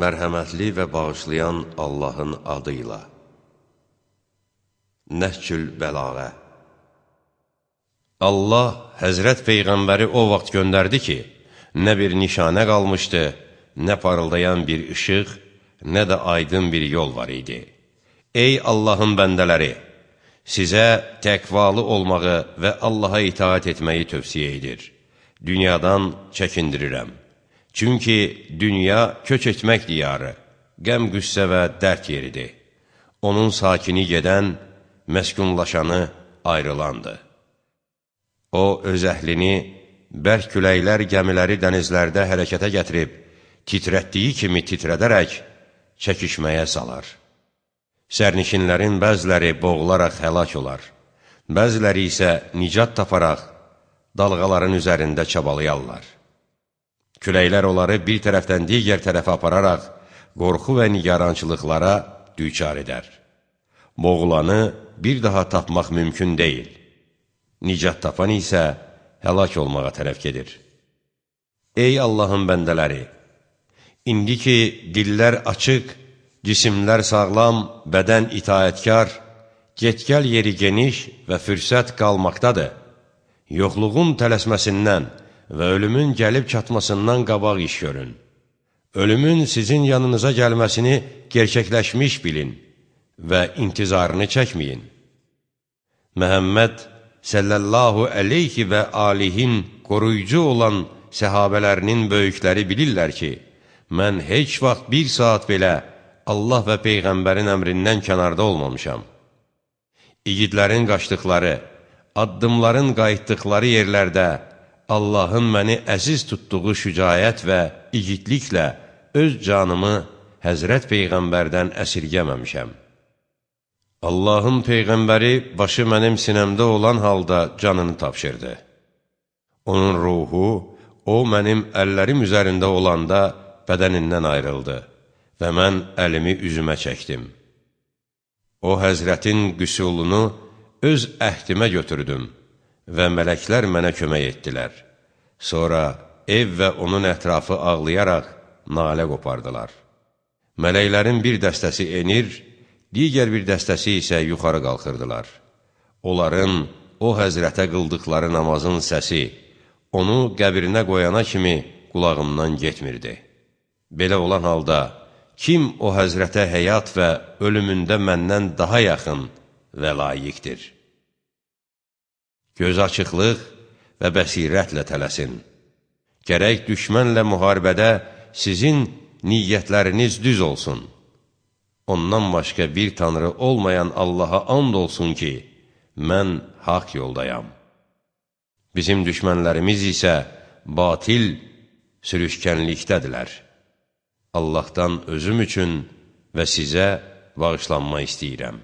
Mərhəmətli və bağışlayan Allahın adıyla. Nəhcül Bəlağə. Allah Həzrət Peyğəmbəri o vaxt göndərdi ki, nə bir nişanə qalmışdı, nə parıldayan bir işıq, nə də aydın bir yol var idi. Ey Allahın bəndələri! Sizə təqvalı olmağı və Allaha itaat etməyi tövsiyə edir. Dünyadan çəkindirirəm. Çünki dünya köç etmək diyarı, qəm-qüssə və dərd yeridir. Onun sakini gedən, məskunlaşanı ayrılandır. O, öz əhlini bərk küləklər gəmiləri dənizlərdə hərəkətə gətirib, titrətdiyi kimi titrədərək çəkişməyə salar. Sərnişinlərin bəziləri boğularaq həlak olar, bəziləri isə nicat taparaq dalğaların üzərində çabalayarlar. Küləklər onları bir tərəfdən digər tərəfə apararaq qorxu və nigarançılıqlara düçar edər. Boğulanı bir daha tapmaq mümkün deyil. Nicat tapan isə həlak olmağa tərəf gedir. Ey Allahın bəndələri! İndi ki, dillər açıq, cisimlər sağlam, bədən itaətkar, get-gəl yeri geniş və fürsət qalmaqdadır. Yoxluğun tələsməsindən və ölümün gəlib çatmasından qabaq iş görün. Ölümün sizin yanınıza gəlməsini gerçəkləşmiş bilin və intizarını çəkməyin. Məhəmməd sallallahu əleyhi və alihin qoruyucu olan səhabələrinin böyükləri bilirlər ki, mən heç vaxt bir saat belə Allah və Peyğəmbərin əmrindən kənarda olmamışam. İgidlərin qaçdıqları, addımların qayıtdıqları yerlərdə Allahın məni əziz tutduğu şücaət və igidliklə öz canımı Həzrət Peyğəmbərdən əsirgəməmişəm. Allahın Peyğəmbəri başı mənim sinəmdə olan halda canını tapşırdı. Onun ruhu, o mənim əllərim üzərində olanda bədənindən ayrıldı və mən əlimi üzümə çəkdim. O Həzrətin qüsulunu öz əhdimə götürdüm və mələklər mənə kömək etdilər. Sonra ev və onun ətrafı ağlayaraq nalə qopardılar. Mələklərin bir dəstəsi enir, digər bir dəstəsi isə yuxarı qalxırdılar. Onların o Həzrətə qıldıqları namazın səsi, onu qəbrinə qoyana kimi qulağımdan getmirdi. Belə olan halda, kim o Həzrətə həyat və ölümündə məndən daha yaxın və layiqdir? Göz açıqlıq və bəsirətlə tələsin. Gərək düşmənlə müharibədə sizin niyyətləriniz düz olsun. Ondan başqa bir tanrı olmayan Allaha and olsun ki, mən haqq yoldayam. Bizim düşmənlərimiz isə batil sürüşkənlikdədirlər. Allahdan özüm üçün və sizə bağışlanma istəyirəm.